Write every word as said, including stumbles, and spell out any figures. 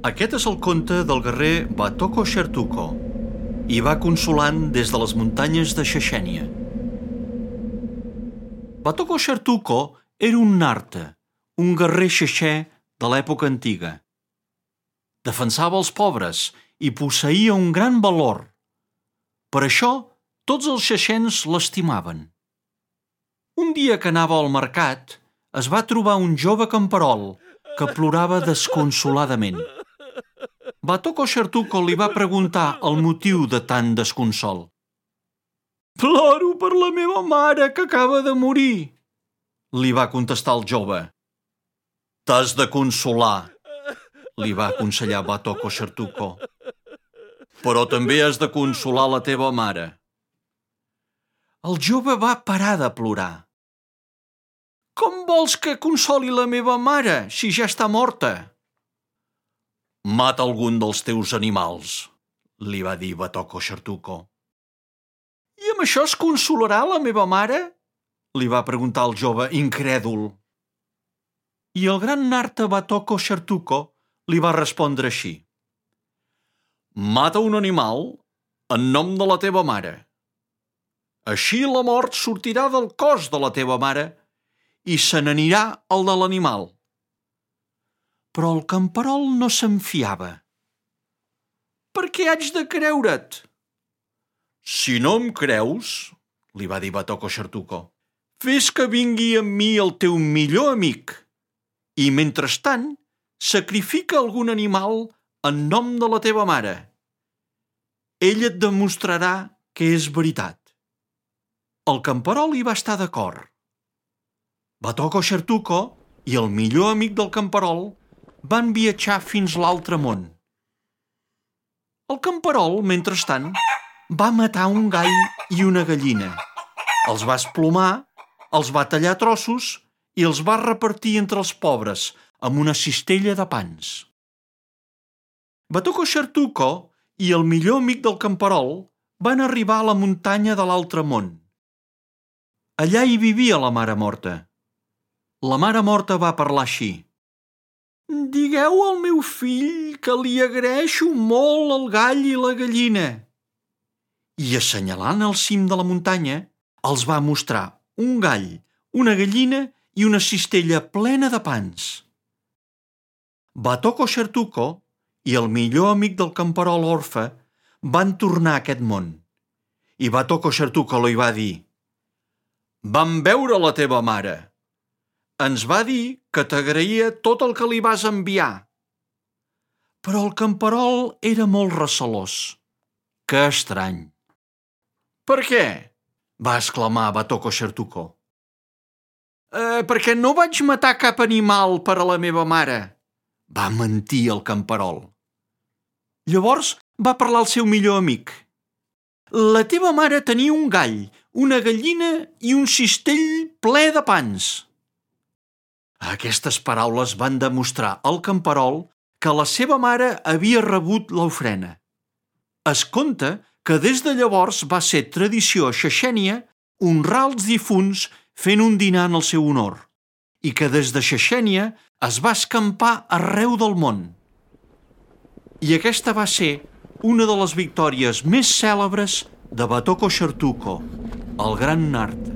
Aquest és el conte del guerrer Batoko Chertuko i va consolant des de les muntanyes de Chechenia. Batoko Chertuko era un narta, un guerrer xexè de l'època antiga. Defensava els pobres i posseïa un gran valor. Per això, tots els xexens l'estimaven. Un dia que anava al mercat, es va trobar un jove camperol que plorava desconsoladament. Batoko Chertuko li va preguntar el motiu de tant desconsol. «Ploro per la meva mare, que acaba de morir», li va contestar el jove. «T'has de consolar», li va aconsellar Batoko Chertuko. «Però també has de consolar la teva mare». El jove va parar de plorar. «Com vols que consoli la meva mare, si ja està morta?» «Mata algun dels teus animals», li va dir Batoko Chertuko. «I amb això es consolarà la meva mare?», li va preguntar el jove incrèdul. I el gran narta Batoko Chertuko li va respondre així. «Mata un animal en nom de la teva mare. Així la mort sortirà del cos de la teva mare i se n'anirà el de l'animal». Però el camperol no se'n fiava. «Per què haig de creure't?» «Si no em creus», li va dir Batoko Chertuko, «fes que vingui amb mi el teu millor amic i, mentrestant, sacrifica algun animal en nom de la teva mare. Ell et demostrarà que és veritat». El camperol hi va estar d'acord. Batoko Chertuko i el millor amic del camperol van viatjar fins l'altre món. El camperol, mentrestant, va matar un gall i una gallina. Els va esplomar, els va tallar a trossos i els va repartir entre els pobres amb una cistella de pans. Batoko Chertuko i el millor amic del camperol van arribar a la muntanya de l'altre món. Allà hi vivia la mare morta. La mare morta va parlar així. «Digueu al meu fill que li agraeixo molt el gall i la gallina». I assenyalant el cim de la muntanya, els va mostrar un gall, una gallina i una cistella plena de pans. Batoko Chertuko i el millor amic del camperol orfe van tornar a aquest món. I Batoko Chertuko li va dir: «Vam veure la teva mare. Ens va dir que t'agraïa tot el que li vas enviar». Però el camperol era molt recelós. «Que estrany». «Per què?», va exclamar Batoko Chertuko. «Eh, perquè no vaig matar cap animal per a la meva mare», va mentir el camperol. Llavors va parlar el seu millor amic. «La teva mare tenia un gall, una gallina i un cistell ple de pans». Aquestes paraules van demostrar al camperol que la seva mare havia rebut l'ofrena. Es conta que des de llavors va ser tradició a Chechenia honrar els difunts fent un dinar en el seu honor i que des de Chechenia es va escampar arreu del món. I aquesta va ser una de les victòries més cèlebres de Batoko Chertuko, el gran narta.